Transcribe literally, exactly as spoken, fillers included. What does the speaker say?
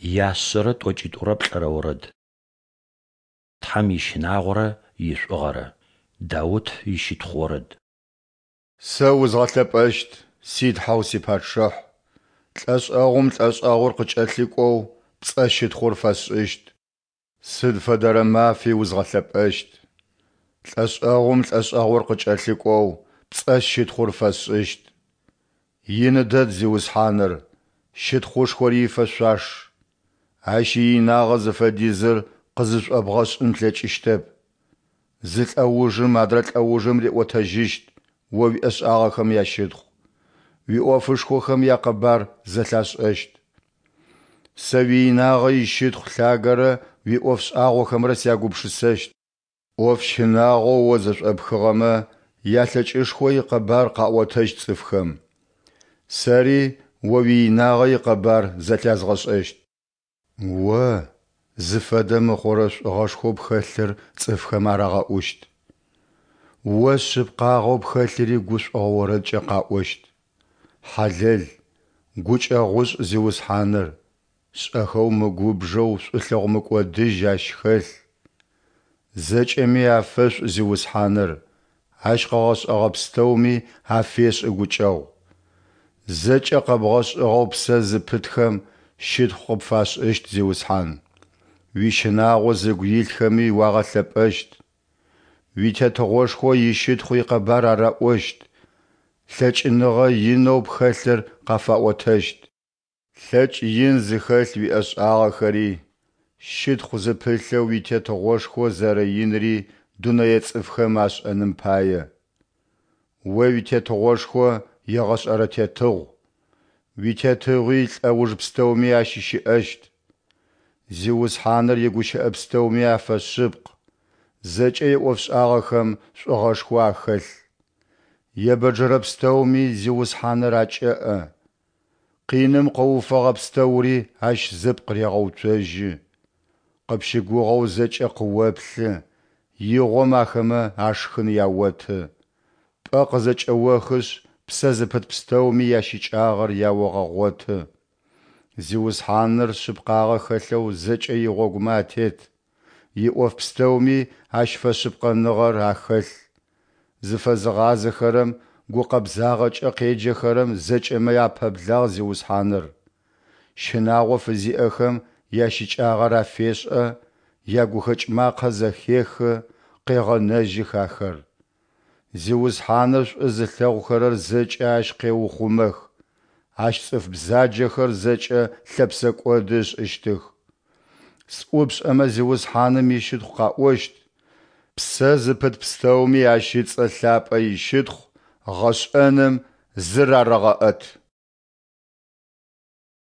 Яшъэрэ тӏокӏитӏурэ плӏырэ орэд. Тхьэм ищынагъорэ ишӏугъэрэ. Даут ищытхъу орэд. Сэ узгъэлъэпӏэщт, си Тхьэу си Пачъыхь, лӏэшӏэгъум лӏэшӏэгъур къыкӏэлъыкӏоу пцӏэ щытхъур фэсшӏыщт. Сыд фэдэрэ мафи узгъэлъэпӏэщт. Лӏэшӏэгъум лӏэшӏэгъур къыкӏэлъыкӏоу пцӏэ щытхъур фэсшӏыщт. Ины дэд Зиусхьаныр, щытхъушхори ифэшъуаш. Ащ иинагъэ зыфэдизыр къызышӏобгъэшӏын плъэкӏыщтэп. Зы лӏэужым адрэ лӏэужым риӏотэжьыщт О уиӏэшӏагъэхэм ящытхъу, уиӏофышхохэм якъэбар зэлъашӏэщт. Сэ уиинагъэ ищытхъу лъагэрэ уиӏоф шӏагъохэмрэ сягупшысэщт. ӏоф щынагъоу О зэшӏопхыгъэмэ ялъэкӏышхо икъэбар къаӏотэщт цӏыфхэм. Сэри О уиинагъэ икъэбар зэлъязгъэшӏэщт. О, зыфэдэ мыхъурэ шӏугъэшхоу пхэлъыр цӏыфхэм арагъэӏущт. О шъыпкъагъэу пхэлъыри гушӏогъо орэдкӏэ къаӏощт. Хьалэл, гукӏэгъушӏ Зиусхьаныр, шӏэхэу мыгубжэу шӏулъэгъу мыкӏодыжь Ащ хэлъ. Зэкӏэми афэшӏу Зиусхьаныр, Ащ къыгъэшӏэгъэ пстэуми афешӏы гукӏэгъу. Зэкӏэ къэбгъэшӏыгъэу псэ зыпытхэм щытхъу къыпфашӏыщт, Зиусхьан. Уищынагъо зыгу илъхэми уагъэлъэпӏэщт. Уитетыгъошхо ищытхъу икъэбар араӏощт, лъэкӏыныгъэ инэу пхэлъыр къафаӏотэщт. Лъэкӏ ин зыхэлъ уиӏэшӏагъэхэри, щытхъу зыпылъэу уитетыгъошхо зэрэинри дунэе цӏыфхэм ашӏэным пае. О уитетыгъошхо егъэшӏэрэ тетыгъу, уитетыгъуи лӏэуж пстэуми ащыщыӏэщт. Зиусхьаныр игущыӏэ пстэуми афэшъыпкъ, зэкӏэ иӏофшӏагъэхэм шӏугъэшхо ахэлъ. Ебэджэрэ пстэуми Зиусхьаныр акӏэӏэ. Къиным къыуфэгъэ пстэури Ащ зыпкъ регъэуцожьы. Къыпщыгугъэу зэкӏэ къыоплъы, игъом ахэмэ ашхын яоты. Пӏэ къызэкӏэохышъ, псэ зыпыт пстэуми ящыкӏагъэр яогъэгъоты. Зиусхьаныр шъыпкъагъэ хэлъэу зэкӏэ игъогумэ атет, иӏоф пстэуми Ащ фэшъыпкъэныгъэр ахэлъ. Зыфэзыгъазэхэрэм, гукъэбзагъэкӏэ къеджэхэрэм зэкӏэмэ апэблагъ Зиусхьаныр. Щынагъо фызиӏэхэм ящыкӏагъэр афешӏэ, ягухэкӏ макъэ зэхехы, къегъэнэжьых ахэр. Зиусхьаныр шӏу зылъэгъухэрэр зэкӏэ Ащ къеухъумэх, Ащ цӏыф бзаджэхэр зэкӏэ лъэпсэкӏоды ышӏыщтых. Сӏупшӏэмэ Зиусхьаным ищытхъу къаӏощт, псэ зыпыт пстэуми Ащ ыцӏэ лъапӏэ ищытхъу гъэшӏэным зырарэгъэӏэт.